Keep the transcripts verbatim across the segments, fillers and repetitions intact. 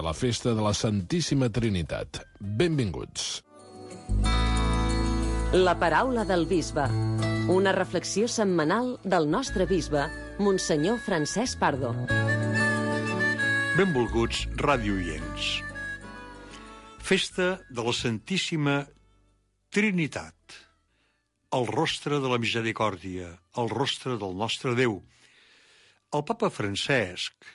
la festa de la Santíssima Trinitat. Benvinguts. La paraula del bisbe. Una reflexió setmanal del nostre bisbe, Monsenyor Francesc Pardo. Benvolguts radioients. Festa de la Santíssima Trinitat. El rostre de la misericòrdia, el rostre del nostre Déu. El papa Francesc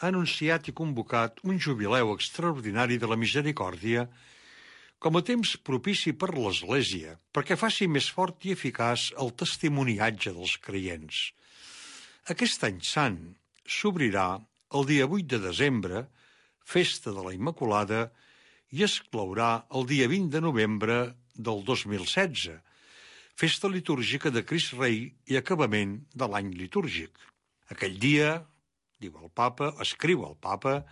ha anunciat i convocat un jubileu extraordinari de la misericòrdia com a temps propici per l'Església, perquè faci més fort i eficaç el testimoniatge dels creients. Aquest any sant s'obrirà el dia vuit de desembre, festa de la Immaculada, i es clourà el dia vint de novembre del dos mil setze, festa litúrgica de Crist Rei i acabament de l'any litúrgic. Aquell dia, diu el papa, escriu el papa,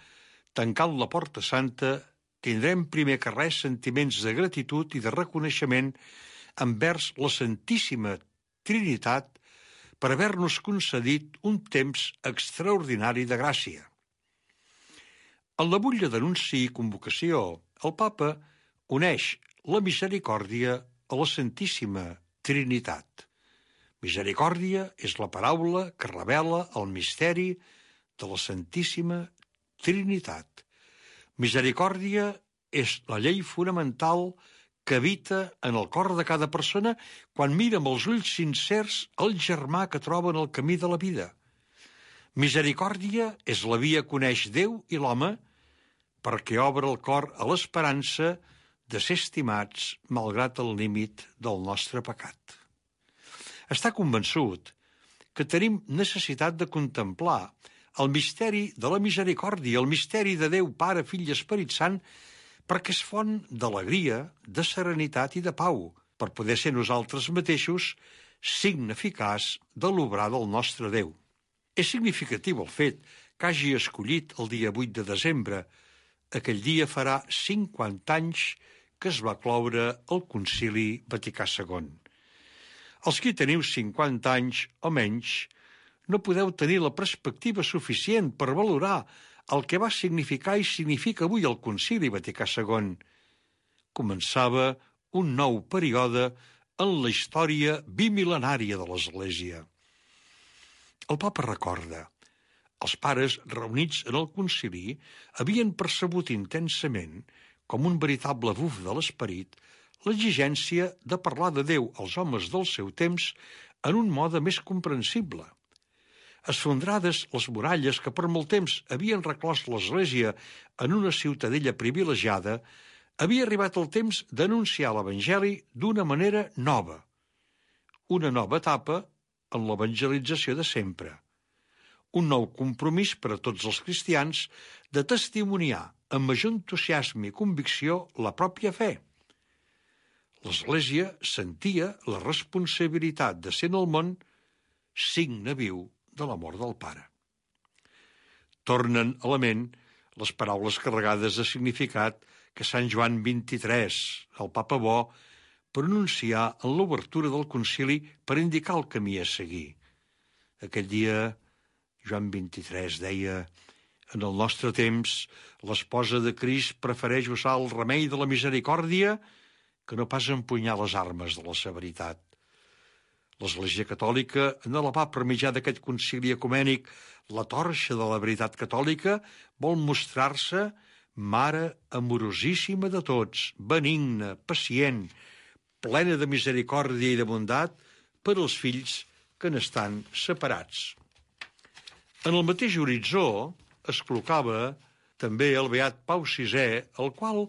tancant la Porta Santa, tindrem primer que res sentiments de gratitud i de reconeixement envers la Santíssima Trinitat per haver-nos concedit un temps extraordinari de gràcia. En la butlla d'anunci i convocació, el papa uneix la misericòrdia a la Santíssima Trinitat. Misericòrdia és la paraula que revela el misteri de la Santíssima Trinitat. Misericòrdia és la llei fonamental que habita en el cor de cada persona quan mira amb els ulls sincers el germà que troba en el camí de la vida. Misericòrdia és la via que uneix Déu i l'home perquè obre el cor a l'esperança de ser estimats malgrat el límit del nostre pecat. Està convençut que tenim necessitat de contemplar el misteri de la misericòrdia, el misteri de Déu, Pare, Fill i Esperit Sant, perquè és font d'alegria, de serenitat i de pau, per poder ser nosaltres mateixos signe eficaç de l'obrar del nostre Déu. És significatiu el fet que hagi escollit el dia vuit de desembre. Aquell dia farà cinquanta anys que es va cloure el Concili Vaticà segon. Els qui teniu cinquanta anys o menys no podeu tenir la perspectiva suficient per valorar el que va significar i significa avui el Concili Vaticà segon. Començava un nou període en la història bimil·lenària de l'Església. El papa recorda: els pares reunits en el concili havien percebut intensament, com un veritable buf de l'esperit, l'exigència de parlar de Déu als homes del seu temps en un mode més comprensible. Esfondrades les muralles que per molt temps havien reclòs l'Església en una ciutadella privilegiada, havia arribat el temps d'anunciar l'Evangeli d'una manera nova. Una nova etapa en l'evangelització de sempre. Un nou compromís per a tots els cristians de testimoniar amb major entusiasme i convicció la pròpia fe. L'Església sentia la responsabilitat de ser en el món signe viu de l'amor del Pare. Tornen a la ment les paraules carregades de significat que Sant Joan vint-i-tres, el papa bo, pronuncià en l'obertura del concili per indicar el camí a seguir. Aquell dia, Joan vint-i-tres deia: en el nostre temps, l'esposa de Crist prefereix usar el remei de la misericòrdia que no pas empunyar les armes de la severitat. L'Església Catòlica, en elevar per mitjà d'aquest concili ecumènic la torxa de la veritat catòlica, vol mostrar-se mare amorosíssima de tots, benigna, pacient, plena de misericòrdia i de bondat per als fills que n'estan separats. En el mateix horitzó es col·locava també el beat Pau sisè, el qual,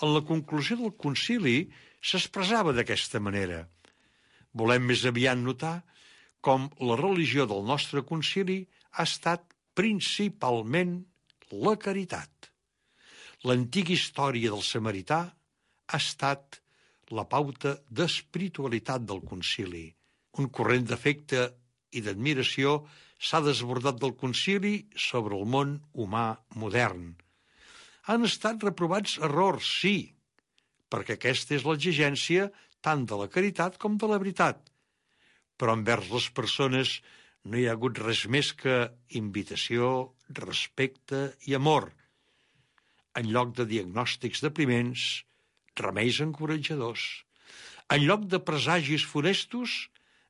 en la conclusió del concili, s'expressava d'aquesta manera: volem més aviat notar com la religió del nostre concili ha estat principalment la caritat. L'antiga història del samarità ha estat la pauta d'espiritualitat del concili. Un corrent d'afecte i d'admiració s'ha desbordat del concili sobre el món humà modern. Han estat reprovats errors, sí, perquè aquesta és l'exigència tant de la caritat com de la veritat. Però envers les persones no hi ha hagut res més que invitació, respecte i amor. En lloc de diagnòstics depriments, remeis encoratjadors. En lloc de presagis funestos,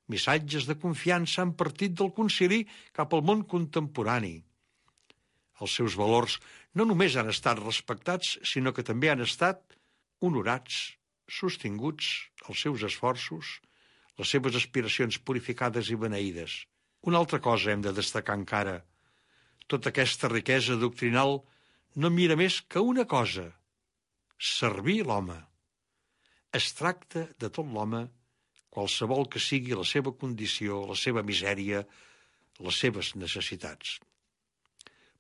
missatges de confiança han partit del concili cap al món contemporani. Els seus valors no només han estat respectats, sinó que també han estat honorats, sostinguts els seus esforços, les seves aspiracions purificades i beneïdes. Una altra cosa hem de destacar encara. Tota aquesta riquesa doctrinal no mira més que una cosa: servir l'home. Es tracta de tot l'home, qualsevol que sigui la seva condició, la seva misèria, les seves necessitats.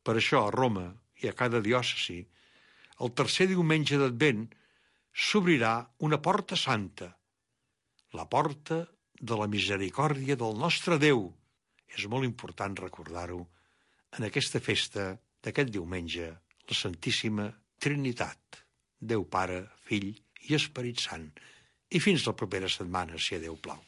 Per això, a Roma i a cada diòcesi, el tercer diumenge d'Advent s'obrirà una porta santa, la porta de la misericòrdia del nostre Déu. És molt important recordar-ho en aquesta festa d'aquest diumenge, la Santíssima Trinitat, Déu Pare, Fill i Esperit Sant. I fins la propera setmana, si a Déu plau.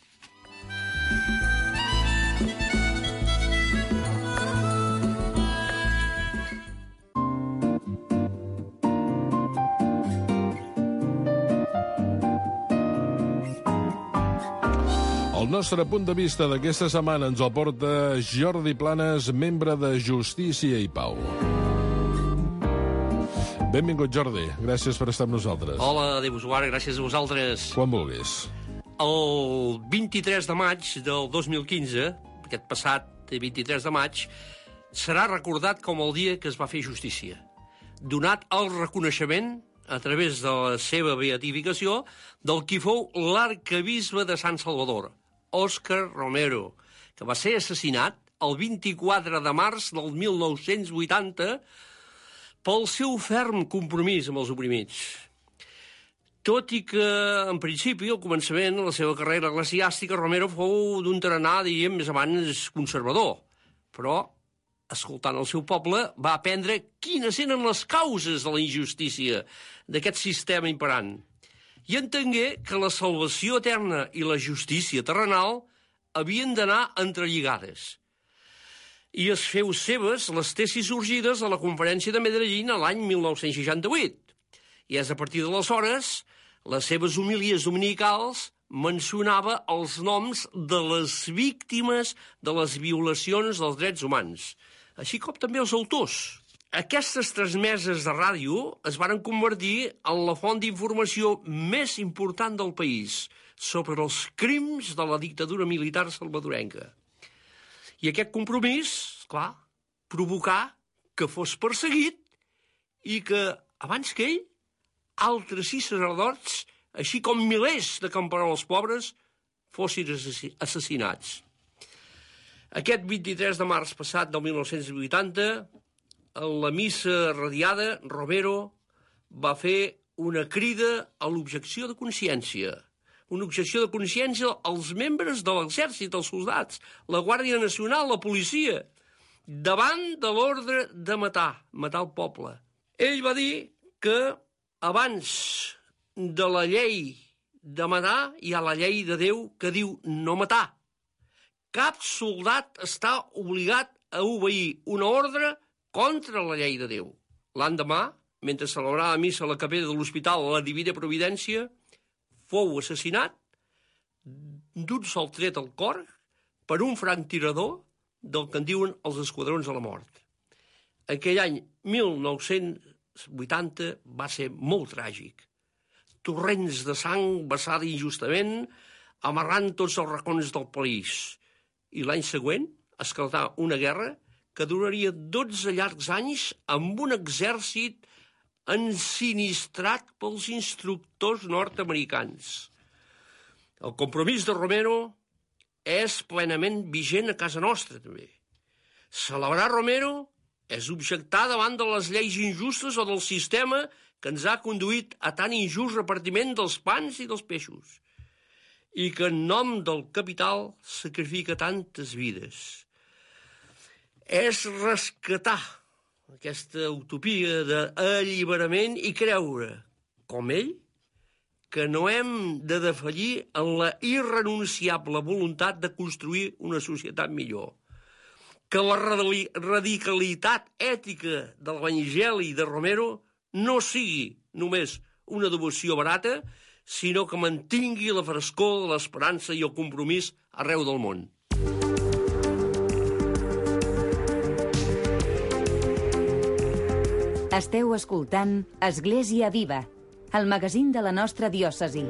El nostre punt de vista d'aquesta setmana ens el porta Jordi Planes, membre de Justícia i Pau. Benvingut, Jordi. Gràcies per estar amb nosaltres. Hola, Déu usuari, gràcies a vosaltres. Quan vulguis. El vint-i-tres de maig del dos mil quinze, aquest passat vint-i-tres de maig, serà recordat com el dia que es va fer justícia. Donat el reconeixement, a través de la seva beatificació, del qui fou l'arcabisbe de Sant Salvador, Òscar Romero, que va ser assassinat el vint-i-quatre de març del mil nou-cents vuitanta pel seu ferm compromís amb els oprimits. Tot i que, en principi, al començament de la seva carrera eclesiàstica, Romero fou d'un tarannà, diríem, més abans conservador. Però, escoltant el seu poble, va aprendre quines eren les causes de la injustícia d'aquest sistema imperant. I entengué que la salvació eterna i la justícia terrenal havien d'anar entrelligades. I es feu seves les tesis sorgides a la Conferència de Medellín l'any mil nou-cents seixanta-vuit. I és a partir d'aleshores, les seves homilies dominicals mencionava els noms de les víctimes de les violacions dels drets humans, així com també els autors. Aquestes transmeses de ràdio es varen convertir en la font d'informació més important del país sobre els crims de la dictadura militar salvadorenca. I aquest compromís, clar, provocà que fos perseguit i que, abans que ell, altres sis sacerdots, així com milers de camperols pobres, fossin assassinats. Aquest vint-i-tres de març passat del mil nou-cents vuitanta, en la missa radiada, Romero va fer una crida a l'objecció de consciència. Una objecció de consciència als membres de l'exèrcit, els soldats, la Guàrdia Nacional, la policia, davant de l'ordre de matar, matar el poble. Ell va dir que abans de la llei de matar hi ha la llei de Déu que diu no matar. Cap soldat està obligat a obeir una ordre contra la llei de Déu. L'endemà, mentre celebrava missa a la capella de l'Hospital a la Divina Providència, fou assassinat d'un sol tret al cor per un franctirador del que en diuen els esquadrons de la mort. Aquell any mil nou-cents vuitanta va ser molt tràgic. Torrents de sang vessada injustament, amarrant tots els racons del país. I l'any següent esclatà una guerra que duraria dotze llargs anys amb un exèrcit ensinistrat pels instructors nord-americans. El compromís de Romero és plenament vigent a casa nostra, també. Celebrar Romero és objectar davant de les lleis injustes o del sistema que ens ha conduït a tan injust repartiment dels pans i dels peixos, i que en nom del capital sacrifica tantes vides. És rescatar aquesta utopia d'alliberament i creure, com ell, que no hem de defallir en la irrenunciable voluntat de construir una societat millor, que la radicalitat ètica de l'Evangeli de Romero no sigui només una devoció barata, sinó que mantingui la frescor, l'esperança i el compromís arreu del món. Esteu escoltant Església Viva, el magazín de la nostra diòcesi.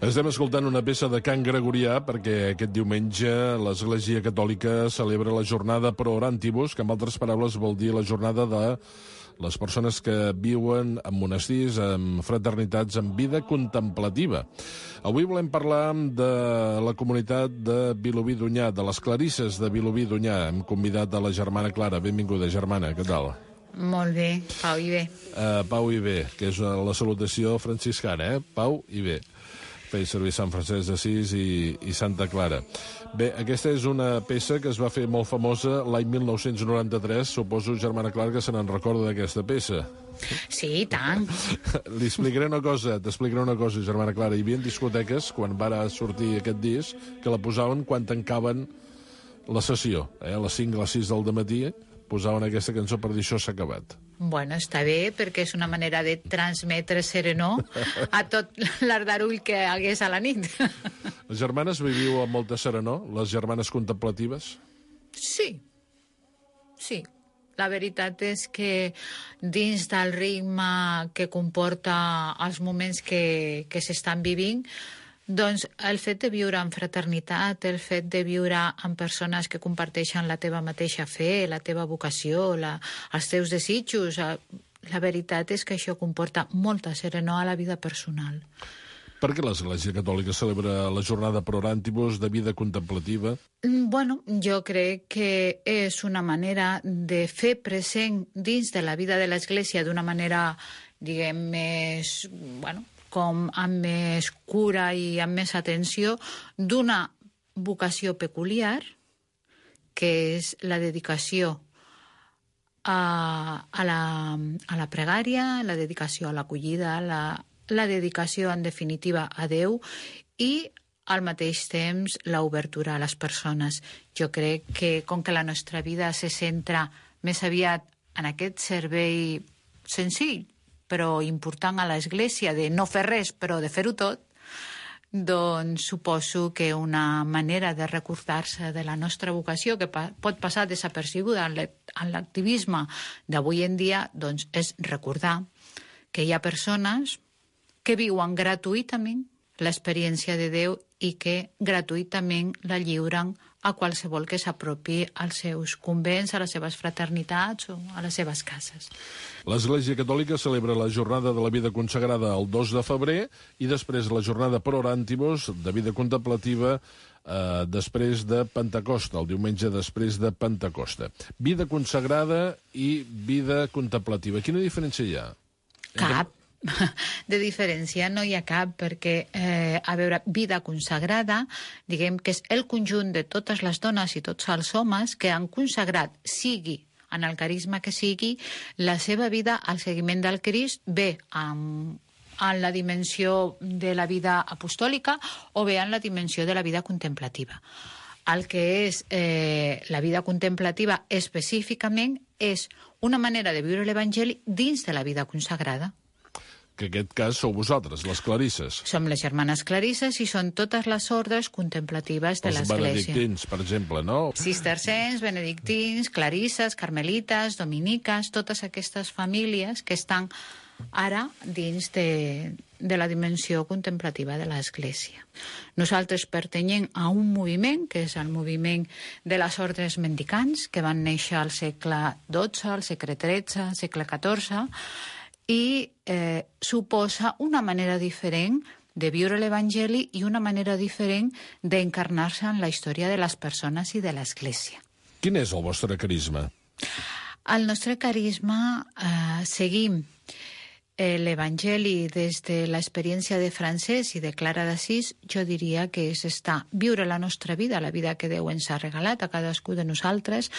Estem escoltant una peça de cant gregorià perquè aquest diumenge l'Església Catòlica celebra la jornada Pro Orantibus, que en altres paraules vol dir la jornada de les persones que viuen en monestirs, en fraternitats, en vida contemplativa. Avui volem parlar de la comunitat de Vilobí d'Onyar, de les Clarisses de Vilobí d'Onyar. Hem convidat a la germana Clara. Benvinguda, germana, què tal? Molt bé, Pau i bé. Uh, Pau i bé, que és la salutació franciscana, eh? Pau i bé. Feia servir Sant Francesc d'Assís i, i Santa Clara. Bé, aquesta és una peça que es va fer molt famosa l'any mil nou-cents noranta-tres. Suposo, germana Clara, que se n'en recorda d'aquesta peça. Sí, i tant. Li explicaré una cosa, t'explicaré una cosa, germana Clara. Hi havia discoteques, quan va sortir aquest disc, que la posaven quan tancaven la sessió. Eh? A les cinc, a les sis del dematí, posaven aquesta cançó per dir això s'ha acabat. Bueno, està bé, perquè és una manera de transmetre serenor a tot l'ardarull que hagués a la nit. Les germanes viviu amb molta serenor, les germanes contemplatives? Sí, sí. La veritat és que dins del ritme que comporta els moments que, que s'estan vivint, doncs el fet de viure en fraternitat, el fet de viure amb persones que comparteixen la teva mateixa fe, la teva vocació, la, els teus desitjos, la veritat és que això comporta molta serenor a la vida personal. Per què l'Església Catòlica celebra la jornada Pro Orantibus de vida contemplativa? Bueno, jo crec que és una manera de fer present dins de la vida de l'Església d'una manera, diguem, més, bueno, com amb més cura i amb més atenció, d'una vocació peculiar, que és la dedicació a, a, la, a la pregària, la dedicació a l'acollida, la, la dedicació, en definitiva, a Déu, i al mateix temps l'obertura a les persones. Jo crec que, com que la nostra vida se centra més aviat en aquest servei senzill, però important a l'Església, de no fer res, però de fer-ho tot, doncs suposo que una manera de recordar-se de la nostra vocació, que pa- pot passar desapercebuda en l'activisme d'avui en dia, doncs és recordar que hi ha persones que viuen gratuïtament l'experiència de Déu i que gratuïtament la lliuren a qualsevol que s'apropi als seus convents, a les seves fraternitats o a les seves cases. L'Església Catòlica celebra la jornada de la vida consagrada el dos de febrer i després la jornada Pro Orantibus de vida contemplativa eh, després de Pentecosta, el diumenge després de Pentecosta. Vida consagrada i vida contemplativa. Quina diferència hi ha? Cap. De diferència no hi ha cap, perquè, eh, a veure, vida consagrada, diguem que és el conjunt de totes les dones i tots els homes que han consagrat, sigui en el carisma que sigui, la seva vida al seguiment del Crist, bé en, en la dimensió de la vida apostòlica o bé en la dimensió de la vida contemplativa. El que és eh, la vida contemplativa específicament és una manera de viure l'Evangeli dins de la vida consagrada. Que en aquest cas sou vosaltres, les Clarisses. Som les germanes Clarisses i són totes les ordres contemplatives de l'Església. Els benedictins, per exemple, no? Cistercencs, benedictins, clarisses, carmelites, dominiques, totes aquestes famílies que estan ara dins de, de la dimensió contemplativa de l'Església. Nosaltres pertanyem a un moviment, que és el moviment de les ordres mendicants, que van néixer al segle dotze, al segle tretze, al segle catorze, i eh, suposa una manera diferent de viure l'Evangeli i una manera diferent d'encarnar-se en la història de les persones i de l'Església. Quin és el vostre carisma? Al nostre carisma eh, seguim eh, l'Evangeli des de l'experiència de Francesc i de Clara d'Assís. Jo diria que és estar, viure la nostra vida, la vida que Déu ens ha regalat a cadascú de nosaltres,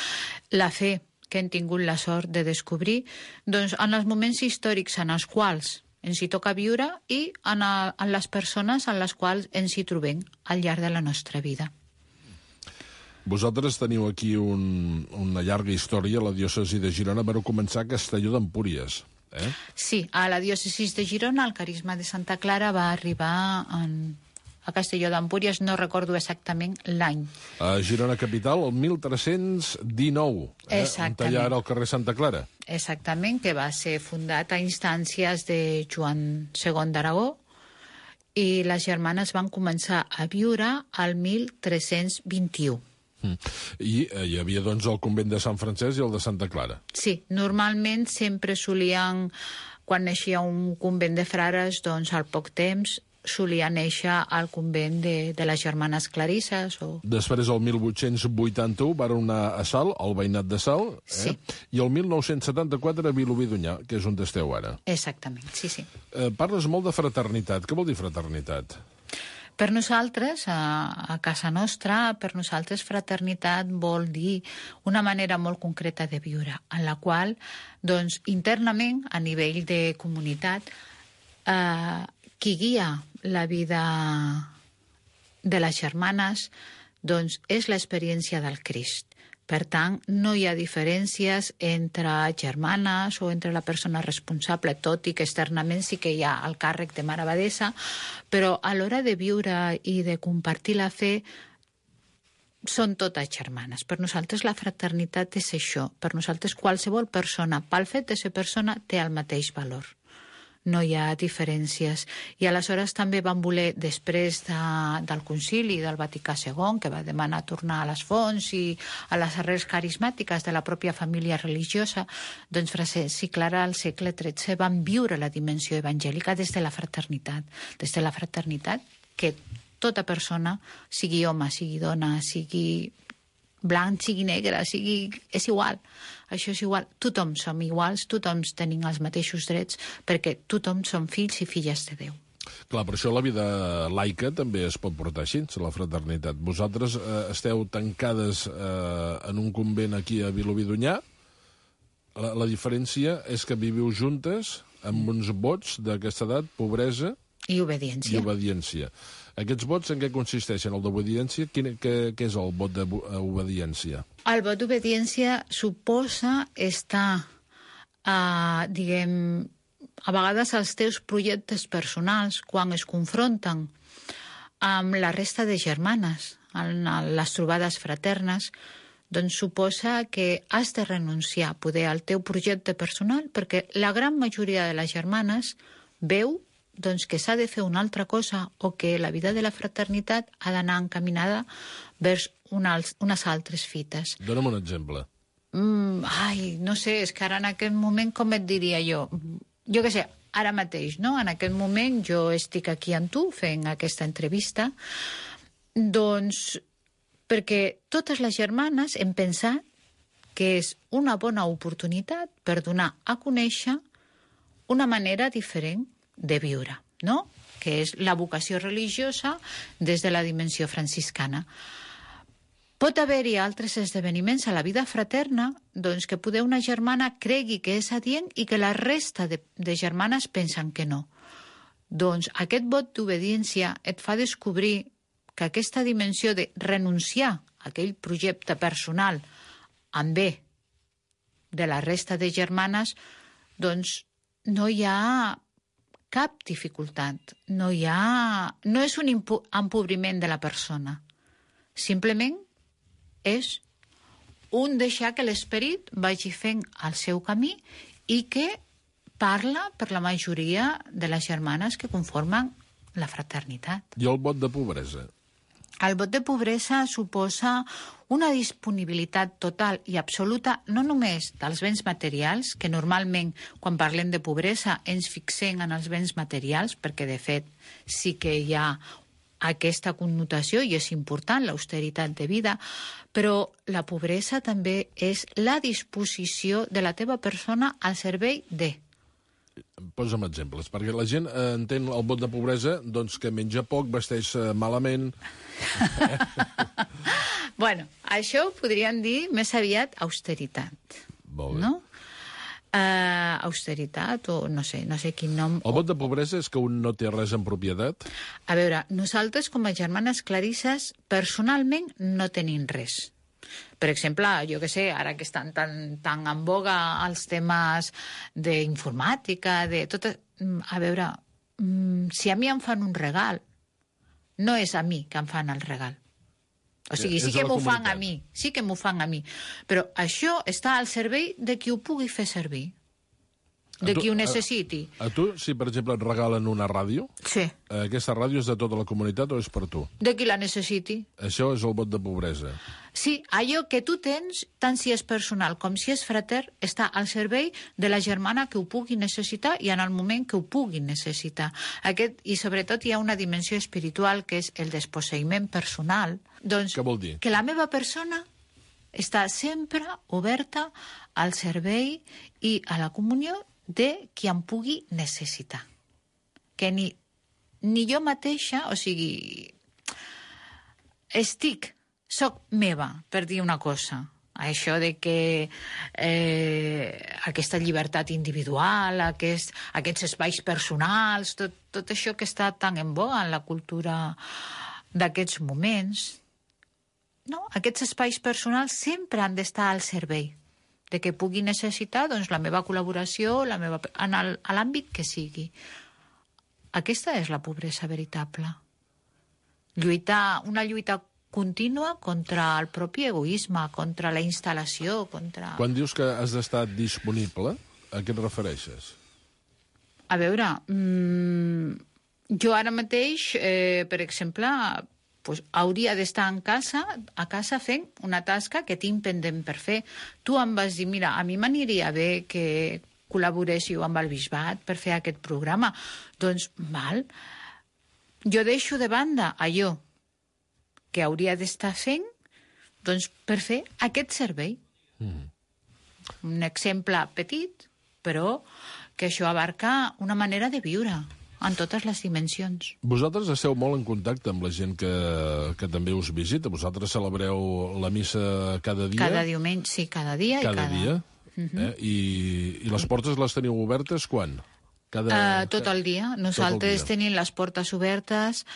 la fe que hem tingut la sort de descobrir, doncs en els moments històrics en els quals ens hi toca viure i en, a, en les persones en les quals ens hi trobem al llarg de la nostra vida. Vosaltres teniu aquí un, una llarga història a la diòcesi de Girona. Vau començar a Castelló d'Empúries, eh? Sí, a la diòcesi de Girona el carisma de Santa Clara va arribar en, a Castelló d'Empúries, no recordo exactament l'any. A Girona capital, el mil tres-cents dinou, eh? On allà era el carrer Santa Clara. Exactament, que va ser fundat a instàncies de Joan segon d'Aragó, i les germanes van començar a viure al mil tres-cents vint-i-u. I eh, hi havia, doncs, el convent de Sant Francesc i el de Santa Clara. Sí, normalment sempre solien, quan naixia un convent de frares, doncs al poc temps solia néixer al convent de, de les germanes Clarisses. O... Després, el mil vuit-cents vuitanta-u, van anar a Salt, al veïnat de Salt, eh? Sí. I el mil nou-cents setanta-quatre a Vilobí d'Onyar, que és on esteu ara. Exactament, sí, sí. Eh, parles molt de fraternitat. Què vol dir fraternitat? Per nosaltres, a, a casa nostra, per nosaltres fraternitat vol dir una manera molt concreta de viure, en la qual, doncs, internament, a nivell de comunitat, eh, qui guia la vida de les germanes, doncs, és l'experiència del Crist. Per tant, no hi ha diferències entre germanes o entre la persona responsable, tot i que externament sí que hi ha el càrrec de mare abadessa, però a l'hora de viure i de compartir la fe són totes germanes. Per nosaltres la fraternitat és això. Per nosaltres qualsevol persona, pel fet de ser persona, té el mateix valor. No hi ha diferències. I aleshores també van voler, després de, del concili del Vaticà segon, que va demanar tornar a les fonts i a les arrels carismàtiques de la pròpia família religiosa, doncs Francesc i Clara al segle tretze van viure la dimensió evangèlica des de la fraternitat. Des de la fraternitat que tota persona, sigui home, sigui dona, sigui blanc, sigui negre, sigui... és igual. Això és igual. Tothom som iguals, tothom tenim els mateixos drets, perquè tothom som fills i filles de Déu. Clar, per això la vida laica també es pot portar així, la fraternitat. Vosaltres eh, esteu tancades eh, en un convent aquí a Vilobí d'Onyar. La, la diferència és que viviu juntes amb uns vots d'aquesta edat, pobresa... I obediència. I obediència. Aquests vots en què consisteixen? El d'obediència, què, què és el vot d'obediència? El vot d'obediència suposa estar, eh, diguem, a vegades els teus projectes personals, quan es confronten amb la resta de germanes, en les trobades fraternes, doncs suposa que has de renunciar a poder al teu projecte personal, perquè la gran majoria de les germanes veu doncs que s'ha de fer una altra cosa o que la vida de la fraternitat ha d'anar encaminada vers unes, unes altres fites. Dóna'm un exemple. Mm, ai, no sé, és que ara en aquest moment, com et diria jo? Jo què sé, ara mateix, no? En aquest moment jo estic aquí amb tu fent aquesta entrevista, doncs perquè totes les germanes hem pensat que és una bona oportunitat per donar a conèixer una manera diferent de viure, no? Que és la vocació religiosa des de la dimensió franciscana. Pot haver-hi altres esdeveniments a la vida fraterna doncs que poder una germana cregui que és adient i que la resta de, de germanes pensen que no. Doncs aquest vot d'obediència et fa descobrir que aquesta dimensió de renunciar a aquell projecte personal en bé de la resta de germanes, doncs no hi ha cap dificultat, no hi ha... no és un empobriment de la persona. Simplement és un deixar que l'esperit vagi fent el seu camí i que parla per la majoria de les germanes que conformen la fraternitat. I el vot de pobresa? El vot de pobresa suposa una disponibilitat total i absoluta no només dels béns materials, que normalment quan parlem de pobresa ens fixem en els béns materials, perquè de fet sí que hi ha aquesta connotació i és important, l'austeritat de vida, però la pobresa també és la disposició de la teva persona al servei de... Posa'm exemples, perquè la gent eh, entén el vot de pobresa doncs, que menja poc, vesteix eh, malament... Bueno, això ho podríem dir més aviat austeritat. Molt bé. No? Uh, austeritat o no sé, no sé quin nom... El vot de pobresa és que un no té res en propietat? A veure, nosaltres com a germanes clarisses personalment no tenim res. Per exemple, jo que sé, ara que estan tan, tan en boga els temes d'informàtica, de tot... A veure, si a mi em fan un regal, no és a mi que em fan el regal. O sigui, sí que m'ho fan a mi, sí que m'ho fan a mi. Però això està al servei de qui ho pugui fer servir, de qui ho necessiti. A, a tu, si per exemple et regalen una ràdio, sí. Aquesta ràdio és de tota la comunitat o és per tu? De qui la necessiti. Això és el vot de pobresa. Sí, allò que tu tens, tant si és personal com si és frater, està al servei de la germana que ho pugui necessitar i en el moment que ho pugui necessitar. Aquest, i sobretot hi ha una dimensió espiritual que és el desposseïment personal. Doncs, què vol dir? Que la meva persona està sempre oberta al servei i a la comunió de qui em pugui necessitar. Que ni, ni jo mateixa, o sigui, estic, soc meva, per dir una cosa. Això de que eh, aquesta llibertat individual, aquest, aquests espais personals, tot, tot això que està tan en boga en la cultura d'aquests moments, no? Aquests espais personals sempre han d'estar al servei de que pugui necessitar doncs, la meva col·laboració la meva, en el, a l'àmbit que sigui. Aquesta és la pobresa veritable. Lluitar, una lluita contínua contra el propi egoisme, contra la instal·lació, contra... Quan dius que has d'estar disponible, a què et refereixes? A veure, mmm, jo ara mateix, eh, per exemple, pues, hauria d'estar en casa, a casa fent una tasca que tinc pendent per fer. Tu em vas dir, mira, a mi m'aniria bé que col·laboréssiu amb el bisbat per fer aquest programa. Doncs, val, jo deixo de banda allò que hauria d'estar fent doncs, per fer aquest servei. Mm. Un exemple petit, però que això abarca una manera de viure en totes les dimensions. Vosaltres esteu molt en contacte amb la gent que, que també us visita. Vosaltres celebreu la missa cada dia? Cada diumenge, sí, cada dia. Cada, i cada... dia? Uh-huh. eh? I, I les portes les teniu obertes quan? Cada... Uh, tot el dia. Nosaltres el dia. tenim les portes obertes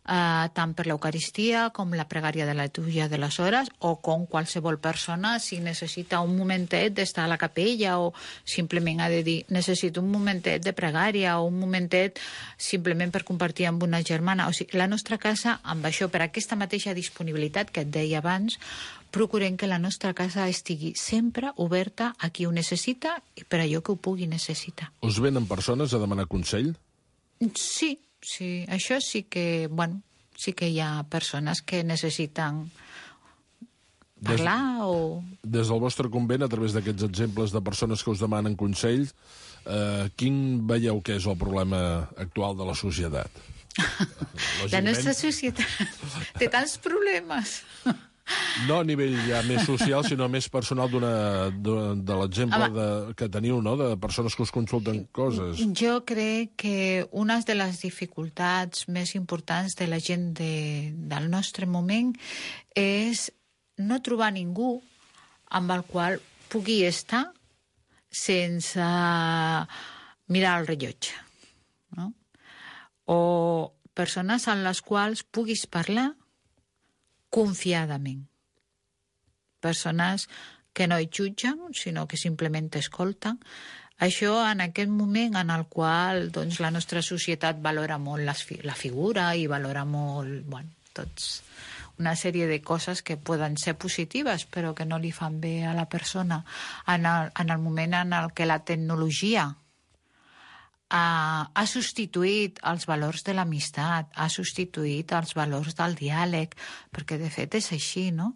Uh, tant per l'Eucaristia com la pregària de la litúrgia de les hores o com qualsevol persona si necessita un momentet d'estar a la capella o simplement ha de dir necessito un momentet de pregària o un momentet simplement per compartir amb una germana. O sigui, la nostra casa, amb això, per aquesta mateixa disponibilitat que et deia abans, procurem que la nostra casa estigui sempre oberta a qui ho necessita i per allò que ho pugui necessitar. Us venen persones a demanar consell? Sí. Sí, això sí que, bueno, sí que hi ha persones que necessiten parlar des, o... Des del vostre convent, a través d'aquests exemples de persones que us demanen consells, eh, quin veieu que és el problema actual de la societat? La nostra societat té tants problemes. No a nivell ja més social, sinó més personal d'una, de l'exemple de, que teniu, no?, de persones que us consulten coses. Jo crec que una de les dificultats més importants de la gent de, del nostre moment és no trobar ningú amb el qual pugui estar sense mirar el rellotge, no? O persones amb les quals puguis parlar confiadament. Persones que no hi jutgen, sinó que simplement t'escolten. Això en aquest moment en el qual doncs, la nostra societat valora molt la, la figura i valora molt, bueno, tots una sèrie de coses que poden ser positives però que no li fan bé a la persona. En el, en el moment en el que la tecnologia ha, ha substituït els valors de l'amistat, ha substituït els valors del diàleg, perquè de fet és així, no?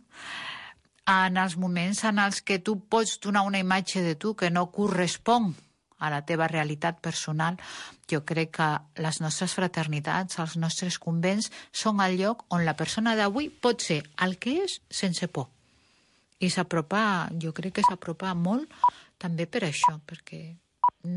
En els moments en els que tu pots donar una imatge de tu que no correspon a la teva realitat personal, jo crec que les nostres fraternitats, els nostres convents, són el lloc on la persona d'avui pot ser el que és sense por. I s'apropa, jo crec que s'apropa molt també per això, perquè